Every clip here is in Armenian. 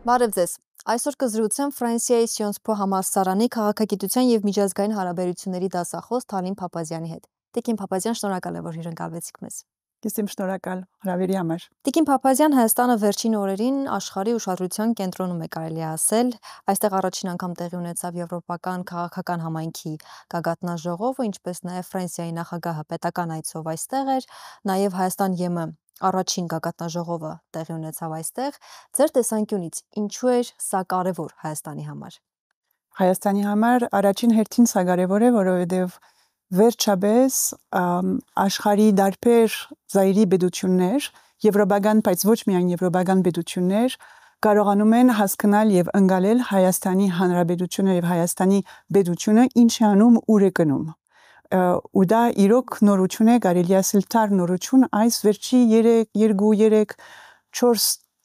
Բարև ձեզ։ Այսօր կզրուցեմ Ֆրանսիայի Սիոնս Պո համալսարանի քաղաքագիտության եւ միջազգային հարաբերությունների դասախոս Թալին Փափազյանի հետ։ Տիկին Փափազյան, շնորհակալ եմ, որ հյուրընկալվեցիք մեզ։ Ես եմ շնորհակալ հրավերի համար։ Տիկին Փափազյան, Հայաստանը վերջին օրերին աշխարհի ուշադրության կենտրոնում է, կարելի է ասել։ Այստեղ առաջին անգամ տեղի ունեցավ եվրոպական քաղաքական համայնքի գագաթնաժողովը, ինչպես նաեւ Ֆրանսիայի նախագահը պետական այցով այստեղ էր, նաեւ Հայաստան-ԵՄ առաջին գագաթնաժողովը տեղի ունեցավ այստեղ։ Ձեր տեսանկյունից ինչու էր սա կարևոր Հայաստանի համար։ Հայաստանի համար առաջին հերթին սա կարևոր է, որովհետև վերջապես աշխարհի դարբեր զայրի պետություններ, եվրոպական, բայց ոչ միայն եվրոպական պետություններ կարողանում են հասկանալ եւ ընկալել Հայաստանի Հանրապետությունը եւ Հայաստանի պետությունը ինչ է անում, ուր է գնում։ Ու դա իրոք նորություն է, կարելի է ասել թար նորություն, այս վերջի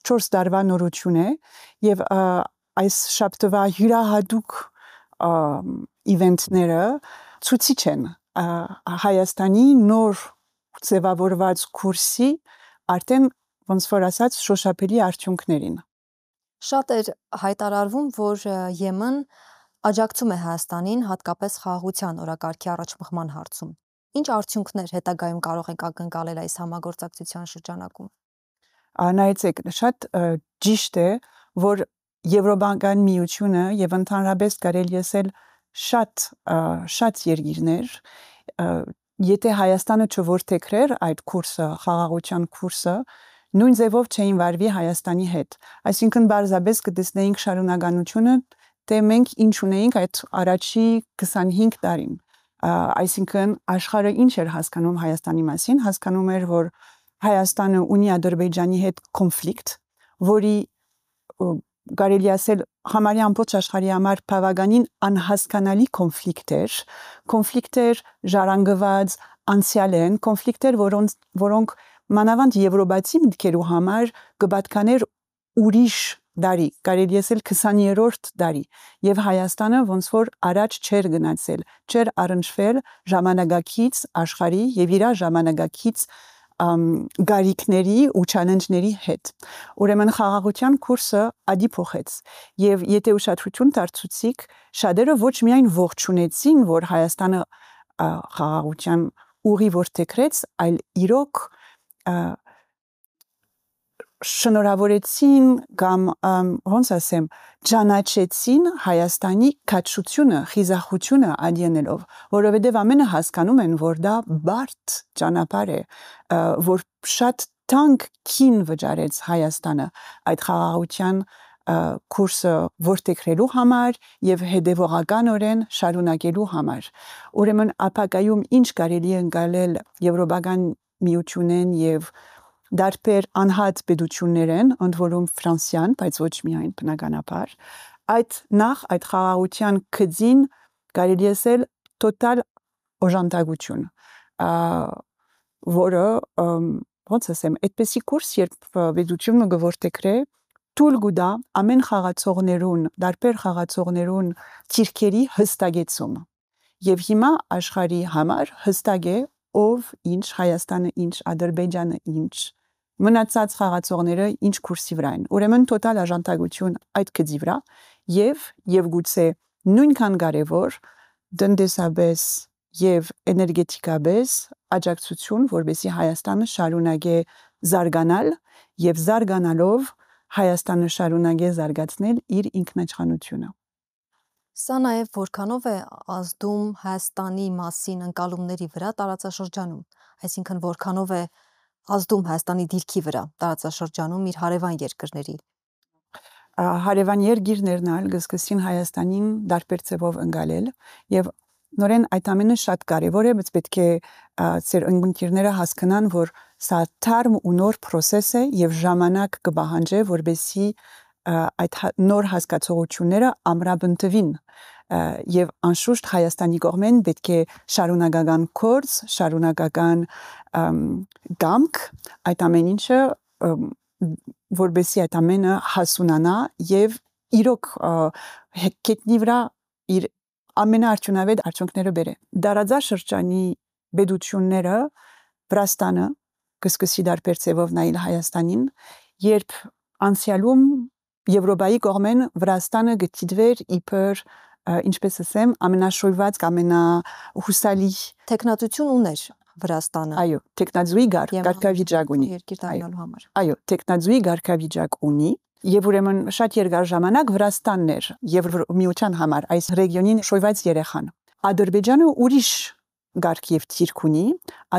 4 տարվա նորություն է եւ այս շաբթվա յուրահատուկ իվենտները ցույցիչ են Հայաստանի նոր ձևավորված կուրսի արդեն ոնց որ ասած շոշափելի արդյունքներին։ Շատ էր հայտարարվում, որ ԵՄ-ն աջակցում է Հայաստանին հատկապես խաղաղության օրակարգի առաջմղման հարցում։ Ինչ արդյունքներ հետագայում կարող ենք ակնկալել այս համագործակցության շրջանակում։ Նայեցեք, շատ ճիշտ է, որ Եվրոպական միությունը եւ ընդհանրապես կարելի ասել շատ երկիրներ, եթե Հայաստանը չորթեքրեր այդ կուրսը, խաղաղության կուրսը, նույն ձևով չէին վարվի Հայաստանի հետ։ Այսինքն բարձրապես կտեսնեինք շարունակականությունը, թե մենք ինչ ունեինք այդ առաջի 25 տարին։ Այսինքն աշխարհը ինչ էր հասկանում Հայաստանի մասին, հասկանում էր, որ Հայաստանը ունի Ադրբեջանի հետ կոնֆլիկտ, որի կարելի ասել համարյա ամբողջ աշխարհի համար բավականին անհասկանալի կոնֆլիկտեր ժառանգված անցյալ են, կոնֆլիկտեր, որոնք մանավանդ եվրոպացի մտքերու համար կպատկաներ ուրիշ դարի, կարելի ասել 20-րդ դարի, եւ Հայաստանը ոնց որ առաջ չէր գնացել, չէր առնչվել ժամանակակից աշխարհի եւ իր ժամանակակից գարիքների ու չալենջների հետ։ Ուրեմն խաղաղության կուրսը ադի փոխեց եւ եթե ուշադրություն դարձուցիկ, շատերը ոչ միայն ողջունեցին, որ Հայաստանը խաղաղության ուղի որդեքրեց, այլ իրոք շնորհավորեցին կամ ոնց ասեմ, ճանաչեցին Հայաստանի քաջությունը, խիզախությունը ադյանելով, որովհետև ամենը հասկանում են, որ դա բարդ ճանապարհ է, որ շատ թանկ քին վճարեց Հայաստանը այդ խաղաղության կուրսը որդեքրելու համար եւ հետեւողականորեն շարունակելու համար։ Ուրեմն ապակայում ինչ կարելի է ընկալել եվրոպական միությունեն եւ դարբեր անհատ պետություններեն, ընդ որում Ֆրանսիան, բայց ոչ միայն բնականաբար, այդ խաղաղության քծին կարելի ասել տոտալ օժանդակություն, որը ոնց ասեմ, այդպեսի կուրս, երբ պետությունը գորտեքրե, թույլ կտա ամեն խաղացողներուն, դարբեր խաղացողներուն թիրքերի հստակեցում։ Եվ հիմա աշխարհի համար հստակ է ով ինչ, Հայաստանը ինչ, Ադրբեջանը ինչ, մնացած խաղացողները ինչ կուրսի վրա են։ Ուրեմն տոտալ օժանդակություն այդ գծի վրա եւ գուցե նույնքան կարեւոր տնտեսապես եւ էներգետիկապես աջակցություն, որովհետեւ Հայաստանը շարունակե զարգանալ եւ զարգանալով Հայաստանը շարունակե զարգացնել իր ինքնիշխանությունը։ Սա նաև որքանով է ազդում Հայաստանի մասին ընկալումների վրա տարածաշրջանում, այսինքն որքանով է ազդում Հայաստանի դիրքի վրա տարածաշրջանում իր հարևան երկրների։ Հարևան երկիրներն ալ գսկսին Հայաստանին դարբեր ձևով ընկալել եւ նորեն այդ ամենը շատ կարեւոր է, բայց պետք է ծեր ընկերները հասկանան, որ սա թարմ ու նոր process է եւ ժամանակ կպահանջի, որբեսի այդ նոր հասկացողությունները ամրապնդվին եւ անշուշտ Հայաստանի կողմեն պետք է շարունակական կորձ, շարունակական գամք այդ ամեն ինչը որբեսի այդ ամենը հասունանա եւ իրոք կետնի վրա իր ամենաարդյունավետ արդյունքները բերե։ Դարաձաշրջանի պետությունները Վրաստանը կսկսի դարբեր ձևով նայել Հայաստանին, երբ անցյալում Եվրոպայի կողմեն Վրաստանը գտիդվեր իբր ինչպես ասեմ ամենաշոյված ամենահուսալի տեխնատություն ուներ Վրաստանը այո տեխնազուի գարկավիճակ ունի երկիր դառնալու համար այո տեխնազուի գարկավիճակ ունի եւ ուրեմն շատ երկար ժամանակ Վրաստանն էր Եվրոմիության համար այս ռեգիոնին շոյված երեխան Ադրբեջանը ուրիշ գարկ եւ թիրք ունի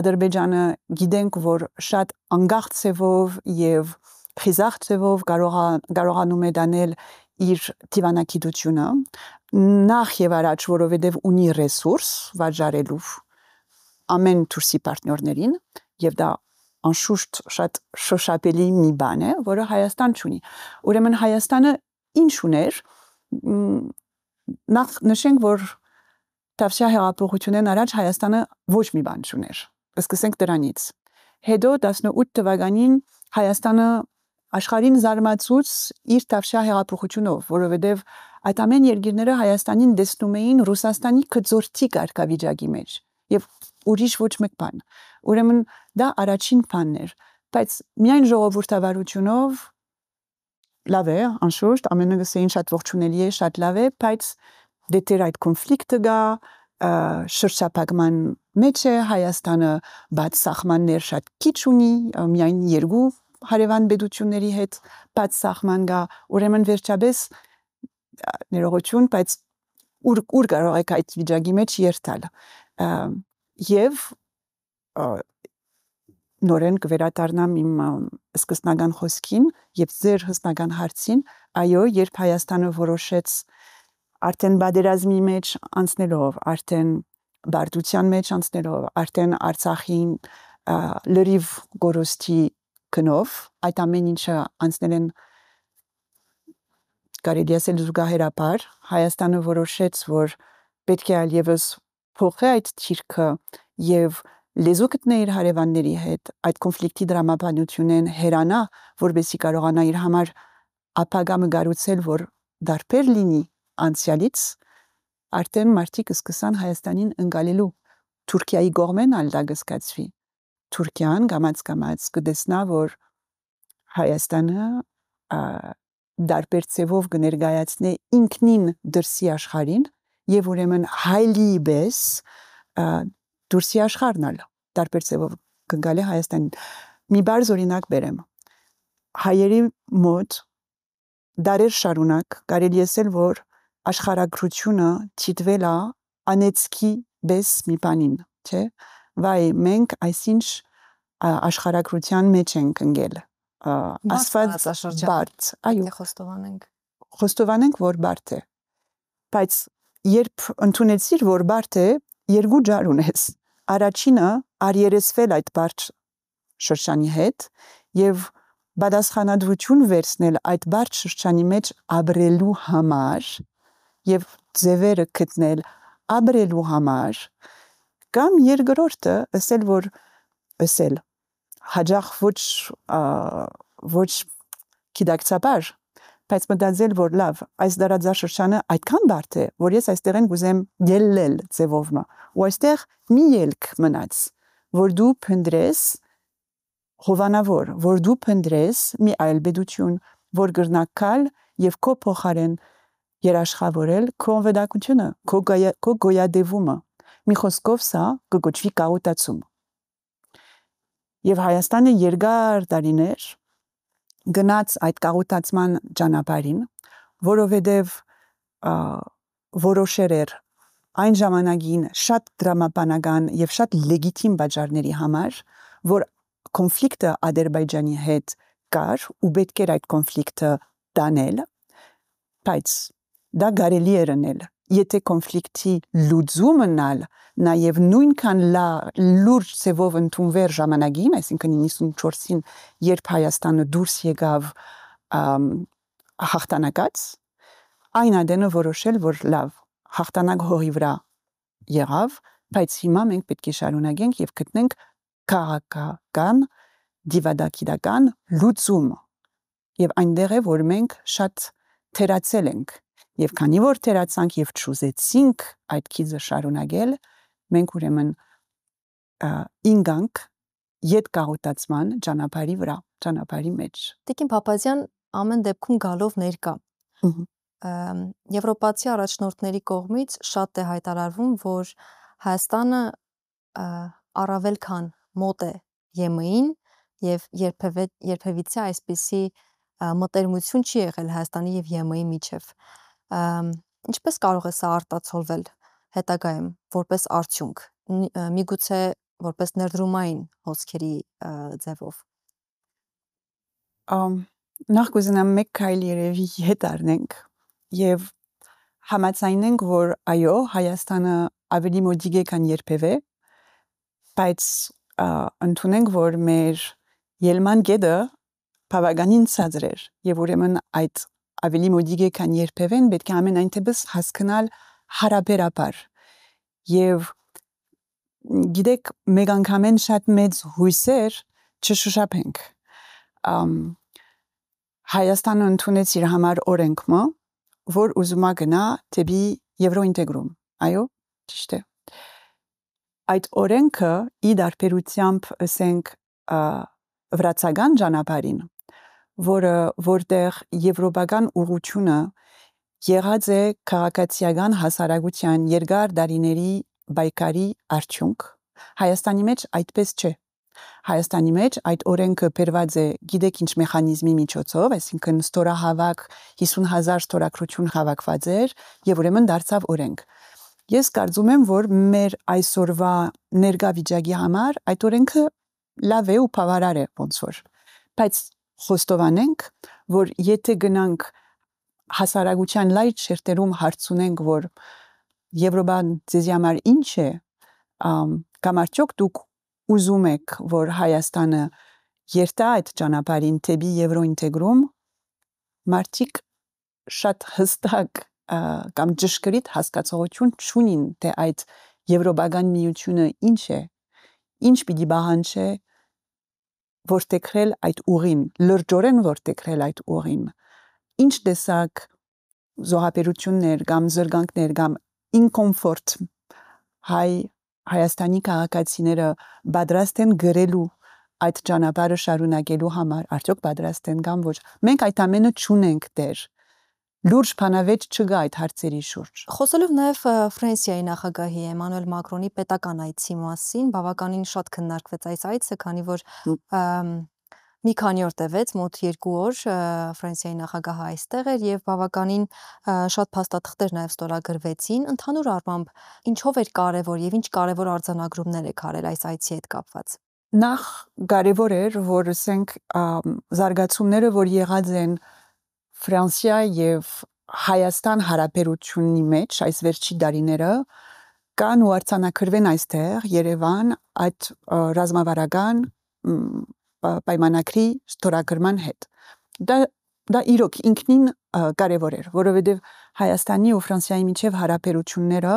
Ադրբեջանը գիտենք որ շատ անկախ ցևով եւ խիզախ ցևով կարողանում է դանել իր դիվանագիտությունը նախ եւ առաջ որովհետեւ ունի ռեսուրս վաճառելու ամեն թուրսի պարտներներին եւ դա անշուշտ շատ շոշափելի մի բան է որը Հայաստան չունի ուրեմն Հայաստանը ինչ ուներ նախ նշենք որ Տավշյա հեղափոխությունն առաջ Հայաստանը ոչ մի բան չուներ սկսենք դրանից հետո 18 թվականին Հայաստանը աշխարհին զարմացուց իր Տավշյա հեղափոխությունով որովհետեւ այդ ամեն երկիրները Հայաստանին տեսնում էին Ռուսաստանի կձորտի կարգավիճակի մեջ եւ ուրիշ ոչ մեկ բան ուրեմն դա առաջին բանն էր բայց միայն ժողովրդավարությունով լավ է անշուշտ ամենը գսեին շատ ողջունելի է շատ լավ է բայց դետեր այդ կոնֆլիկտը գա շրջափակման մեջ է Հայաստանը բաց սահմաններ շատ քիչ ունի միայն երկու հարևան պետությունների հետ բաց սահման գա ուրեմն վերջապես ներողություն բայց ուր կարող եք այդ վիճակի մեջ երթալ եւ նորեն կվերադառնամ իմ սկզբնական խոսքին եւ ձեր հսկական հարցին այո երբ Հայաստանը որոշեց արդեն բادرազմի մեջ անցնելով արդեն բարդության մեջ անցնելով արդեն Արցախին լրիվ գորոստի կնով այդ ամեն ինչը անցնել են կարելի ասել զուգահեռաբար Հայաստանը որոշեց որ պետք է այլևս փոխի այդ թիրքը եւ լեզու գտնի իր հարևանների հետ այդ կոնֆլիկտի դրամաբանությունն հերանա որբեսի կարողանա իր համար ապագա մգարուցել որ դարբեր լինի անցյալից արդեն մարդիկ սկսան Հայաստանին ընկալելու Թուրքիայի կողմեն ալ դա կսկացվի Թուրքիան գամած կդեսնա որ Հայաստանը դարբեր ցևով կներկայացնի ինքնին դրսի աշխարհին եւ ուրեմն հայլի բես դուրսի աշխարհնալ դարբեր ցևով կգալի Հայաստանին մի բարձ օրինակ բերեմ հայերի մոտ դարեր շարունակ կարելի ասել որ աշխարհագրությունը ճիտվել է անեցքի բես մի բանին չէ վայ մենք այսինչ աշխարհագրության մեջ ենք ընկել ասված բարդ այո խոստովանենք որ բարդ է բայց երբ ընդունեցիր որ բարդ է երկու ջար ունես առաջինը արիերեսվել այդ բարդ շրջանի հետ եւ բադասխանատվություն վերցնել այդ բարդ շրջանի մեջ ապրելու համար եւ ձևերը գտնել ապրելու համար կամ երկրորդը ասել հաջող ոչ գիտակցաբար բայց մտածել որ լավ այս դարաձաշրջանը այդքան բարդ է որ ես այստեղ են գուզեմ ելնել ձևովը ու այստեղ մի ելք մնաց որ դու փնտրես հովանավոր որ դու փնտրես մի այլ պետություն որ գրնակալ եւ քո փոխարեն երաշխավորել քո վեդակությունը քո գոյադևումը մի խոսքով սա կգոչվի կաուտացում եւ Հայաստանը երկար տարիներ գնաց այդ կաղուտացման ճանապարհին որովհետեւ որոշեր էր այն ժամանակին շատ դրամաբանական եւ շատ լեգիտիմ բաժարների համար որ կոնֆլիկտը Ադրբեջանի հետ կար ու պետք էր այդ կոնֆլիկտը տանել բայց դա կարելի էր անել եթե կոնֆլիկտի լուծումն ալ նաեւ նույնքան լուրջ ցևով ընդունվեր ժամանակին այսինքն 94-ին երբ Հայաստանը դուրս եկավ հաղթանակած այն adene որոշել որ լավ հաղթանակ հողի վրա եղավ բայց հիմա մենք պետք է շարունակենք եւ գտնենք քաղաքական դիվադակիդական լուծում եւ այնտեղ է որ մենք շատ թերացել ենք եւ քանի որ թերացանք եւ ճուզեցինք այդ քիզը շարունակել մենք ուրեմն ինգանք յետ կաղուտացման ճանապարհի վրա ճանապարհի մեջ Տիկին Փափազյան ամեն դեպքում գալով ներկա։ Եվրոպացի առաջնորդների կողմից շատ է հայտարարվում, որ Հայաստանը առավել քան մոտ է ԵՄ-ին եւ երբևիցե այսպիսի մտերմություն չի եղել Հայաստանի եւ ԵՄ-ի միջև։ Ինչպես կարող է սա արտացոլվել հետագայում որպես արդյունք, միգուցե որպես ներդրումային հոսքերի ձևով։ Նախ կուզենամ մեկ քայլ երևի հետ առնենք եւ համաձայնենք, որ այո, Հայաստանը ավելի մոդիկ է, քան երբևէ, բայց ընդունենք, որ մեր ելման գետը բավականին ցածր էր եւ ուրեմն այդ ավելի մոդիկ է, քան երբևէ, պետք է ամենայն դեպս հասկանալ հարաբերաբար եւ գիտեք, մեկ անգամեն շատ մեծ հույսեր չշշափենք։ Հայաստանը ընդունեց իր համար օրենքը, որ ուզում է գնա դեպի եվրոինտեգրում։ Այո, ճիշտ է։ Այդ օրենքը ի դարբերությամբ ասենք վրացական ճանապարհին, որտեղ եվրոպական ուղղությունը եղած է քաղաքացիական հասարակության երկար դարիների բայկարի արդյունք, Հայաստանի մեջ այդպես չէ։ Հայաստանի մեջ այդ օրենքը բերված է գիտեք ինչ մեխանիզմի միջոցով, այսինքն ստորահավաք 50,000 ստորագրություն հավաքված էր եւ ուրեմն դարձավ օրենք։ Ես կարծում եմ, որ մեր այսօրվա ներկա վիճակի համար այդ օրենքը լավ է ու բավարար է ոնց որ։ Բայց խոստովանենք, որ եթե գնանք հասարակության լայր շերտերում հարցունենք, որ Եվրոպան ձեզի համար ինչ է, կամ արդյոք դուք ուզում եք, որ Հայաստանը երթա այդ ճանապարհին դեպի եվրոինտեգրում, մարդիկ շատ հստակ կամ ճշգրիտ հասկացողություն չունին, թե այդ եվրոպական միությունը ինչ է, ինչ պիտի բանջի որտեղել այդ ուղին, լրջորեն որտեղել այդ ուղին, ինչ տեսակ զոհաբերություններ կամ զրկանքներ կամ ինկոմֆորտ Հայաստանի քաղաքացիները պատրաստ են գրելու այդ ճանապարհը շարունակելու համար, արդյոք պատրաստ են կամ ոչ։ Մենք այդ ամենը չունենք դեռ։ Լուրջ բանավեճ չկա այդ հարցերի շուրջ։ Խոսելով նաև Ֆրանսիայի նախագահի Էմանուել Մակրոնի պետական այցի մասին, բավականին շատ քննարկվեց այս այցը, քանի որ մի քանի օր տևեց, մոտ 2 օր Ֆրանսիայի նախագահը այստեղ էր եւ բավականին շատ փաստաթղթեր նաև ստորագրվեցին։ Ընդհանուր առմամբ ինչով էր կարևոր եւ ինչ կարևոր արձանագրումներ եք արել այս այցի հետ կապված։ Նախ կարևոր էր, որ ասենք զարգացումները, որ եղած են Ֆրանսիա եւ Հայաստան հարաբերությունի մեջ այս վերջի տարիները կան ու արձանագրվեն այստեղ Երևան այդ ռազմավարական պայմանագրի ստորագրման հետ։ Դա իրոք ինքնին կարևոր էր, որովհետև Հայաստանի ու Ֆրանսիայի միջև հարաբերությունները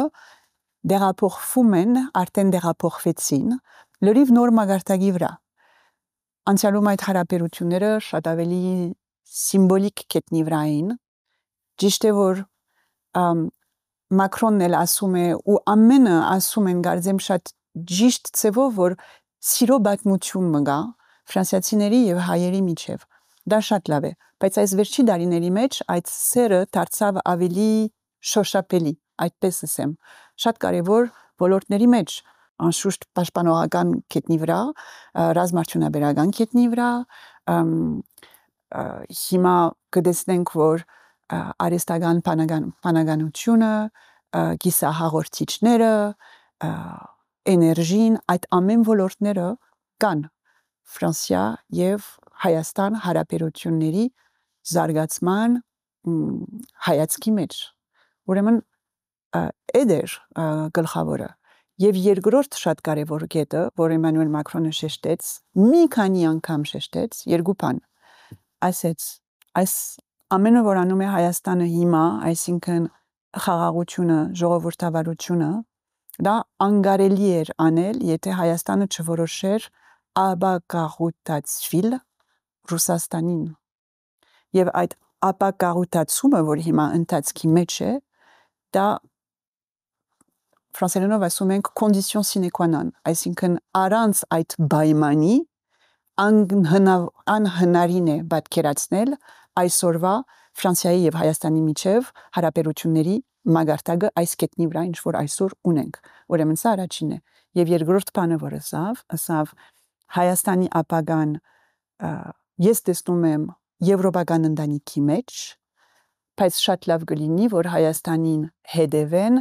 դեղափոխվում են, արդեն դեղափոխվեցին, լրիվ նոր մագարտակի վրա։ Անցյալում այդ հարաբերությունները շատ ավելի սիմվոլիկ կետնի վրա էին։ Ճիշտ է, որ Մակրոնն էլ ասում է ու ամենը ասում են գարձեմ շատ ճիշտ ցևով, որ սիրո բացմություն մգա ֆրանսիացիների եւ հայերի միջև։ Դա շատ լավ է, բայց այս վերջի տարիների մեջ այդ սերը դարձավ ավելի շոշափելի, այդպես ասեմ։ Շատ կարևոր ոլորտների մեջ, անշուշտ պաշտպանողական կետնի վրա, ռազմաարդյունաբերական կետնի վրա, հիմա կտեսնենք, որ արհեստական բանականությունը, կիսահաղորդիչները, էներգին, այդ ամեն ոլորտները կան Ֆրանսիա եւ Հայաստան հարաբերությունների զարգացման հայացքի մեջ։ Ուրեմն էդեր գլխավորը եւ երկրորդ շատ կարեւոր կետը, որ Էմանուել Մակրոնը շեշտեց, մի քանի անգամ շեշտեց, երկու բան։ Ասեց, այս ամենը, որ անում է Հայաստանը հիմա, այսինքն խաղաղությունը, ժողովրդավարությունը, դա անկարելի էր անել, եթե Հայաստանը չորոշեր ապակաղուտացվիլ Ռուսաստանին։ Եվ այդ ապակաղուտացումը, որ հիմա ընթացքի մեջ է, դա ֆրանսերենով ասում ենք condition sine qua non, այսինքն առանց այդ պայմանի անհնարին է պատկերացնել այսօրվա Ֆրանսիայի եւ Հայաստանի միջև հարաբերությունների մագարտակը այս կետնի վրա ինչ որ այսօր ունենք։ Ուրեմն սա առաջինն է։ Եվ երկրորդ բանը, որ ասավ Հայաստանի ապագան ես տեսնում եմ եվրոպական ընտանիքի մեջ, բայց շատ լավ կլինի, որ Հայաստանին հետևեն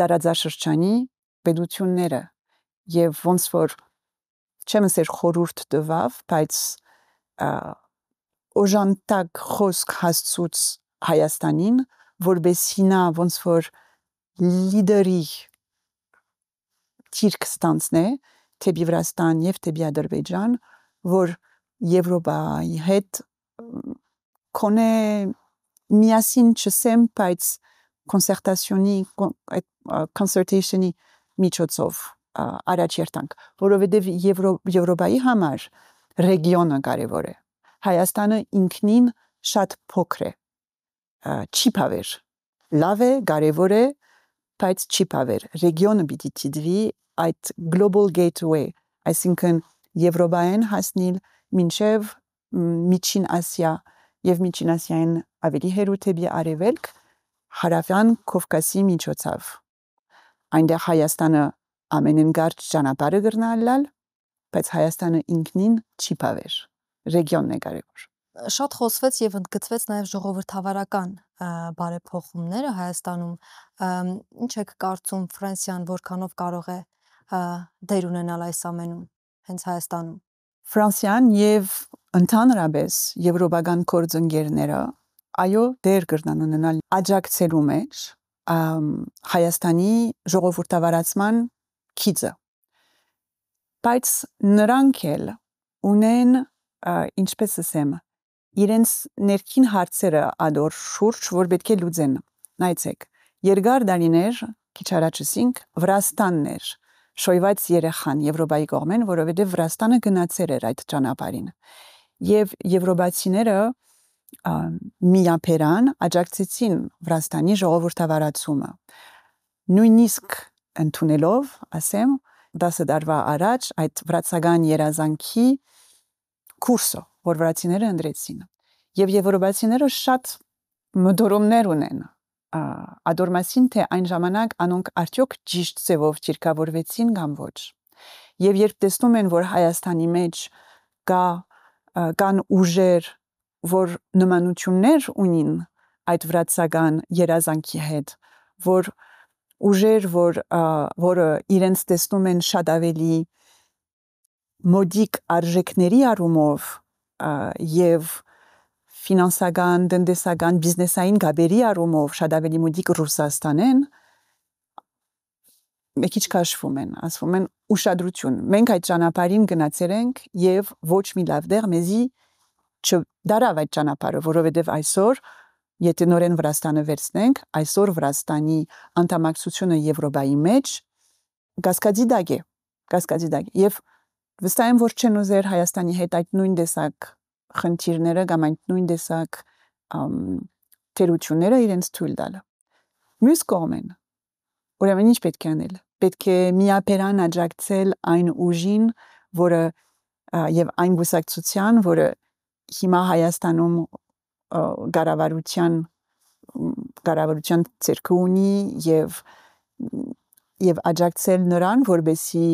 դարաձաշրջանի պետությունները եւ ոնց որ չեմ ասել խորհուրդ տվավ, բայց օժանդակ խոսք հասցուց Հայաստանին, որբեսի նա ոնց որ լիդերի թիրք ստանցնե թեպի Վրաստան եւ թեպի Ադրբեջան, որ Եվրոպայի հետ կոնե միասին չսեմ, բայց concertation-ի միջոցով առաջ երթանք, որովհետեւ Եվրոպայի համար ռեգիոնը կարևոր է։ Հայաստանը ինքնին շատ փոքր է, չի բավեր, լավ է, կարևոր է, բայց չի բավեր։ Ռեգիոնը պիտի դիտվի այդ global gateway, այսինքն Եվրոպային հասնել մինչև Միջին Ասիա եւ Միջին Ասիային ավելի հեռու թեպի արևելք հարավյան Կովկասի միջոցով։ Այնտեղ Հայաստանը ամենեն կարճ ճանապարհը կրնալալ, բայց Հայաստանը ինքնին չի բավեր։ Ռեգիոնն է կարևոր։ Շատ խոսվեց եւ ընդգծվեց նաեւ ժողովրդավարական բարեփոխումները Հայաստանում։ Ինչ եք կարծում Ֆրանսիան որքանով կարող է դեր ունենալ այս ամենում հենց Հայաստանում։ Ֆրանսիան եւ ընդհանրապես եվրոպական գործընկերները այո դեր կրնան ունենալ աջակցելու մեջ Հայաստանի ժողովրդավարացման քիծը։ Բայց նրանք էլ ունեն ինչպես ասեմ իրենց ներքին հարցերը ադոր շուրջ որ պետք է լուծեն։ Նայեցեք, երկար տարիներ քիչ առաջ ասինք Վրաստանն էր շոյված երեխան Եվրոպայի կողմեն, որովհետև Վրաստանը գնացել էր այդ ճանապարհին։ Եվ եվրոպացիները միապերան աջակցեցին Վրաստանի ժողովրդավարացումը։ Նույնիսկ ընդունելով, ասեմ, 10 տարվա առաջ այդ վրացական երազանքի կուրսը, որ վրացիները ընդրեցին։ Եվ եվրոպացիները շատ մտորումներ ունեն ադորմասին թե այն ժամանակ անոնք արդյոք ճիշտ ձևով ճիրկավորվեցին կամ ոչ։ Եվ երբ տեսնում են, որ Հայաստանի մեջ կան ուժեր, որ նմանություններ ունին այդ վրացական երազանքի հետ, որ ուժեր, որը իրենց տեսնում են շատ ավելի մոդիկ արժեքների առումով եւ ֆինանսական, տնտեսական, բիզնեսային գաբերի առումով շատ ավելի մոդիկ Ռուսաստանեն, մեկիչ քաշվում են, ասվում են ուշադրություն։ Մենք այդ ճանապարհին գնացել ենք եւ ոչ մի լավ դեր մեզի չդարավ այդ ճանապարհը, որովհետեւ այսօր եթե նորեն Վրաստանը վերցնենք, այսօր Վրաստանի անդամակցությունը Եվրոպայի մեջ գասկադի դակ է, եւ վստահ եմ, որ չեն ուզեր Հայաստանի հետ այդ նույն տեսակ խնդիրները կամ այդ նույն տեսակ թերությունները իրենց թույլ տալ։ Մյուս կողմեն, ուրեմն ինչ պետք է անել։ Պետք է միապերան աջակցել այն ուժին, որը եւ այն գուսակցության, որը հիմա Հայաստանում կառավարության ցերկը ունի եւ աջակցել նրան, որբեսի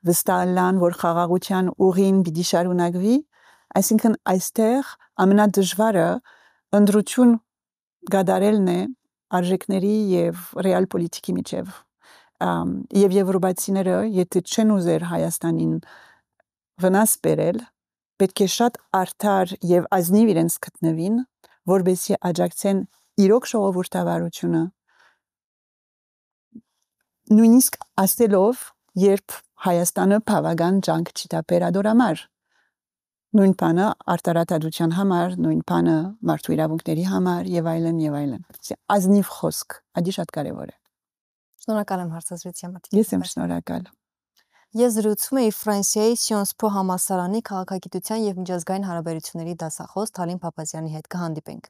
վստահան, որ խաղաղության ուղին պիտի շարունակվի, այսինքն այստեղ ամենադժվարը ընդրություն գադարելն է արժեքների եւ ռեալ պոլիտիկի միջև։ Եվ եվրոպացիները, եթե չեն ուզեր Հայաստանին վնաս բերել, պետք է շատ արդար եւ ազնիվ իրենց գտնվին, որբեսի աջակցեն իրոք ժողովրդավարությունը։ Նույնիսկ ասելով, երբ Հայաստանը բավական ջանք չի տապեր ադորամար։ Նույն բանը արտարադատության համար, նույն բանը մարդու իրավունքների համար եւ այլն եւ այլն։ Ազնիվ խոսք, ադի շատ կարեւոր է։ Շնորհակալ եմ հարցազրույցի համար։ Ես եմ շնորհակալ։ Ես զրուցում էի Ֆրանսիայի Sciences Po համալսարանի քաղաքագիտության եւ միջազգային հարաբերությունների դասախոս Թալին Փափազյանի հետ։ Կհանդիպենք։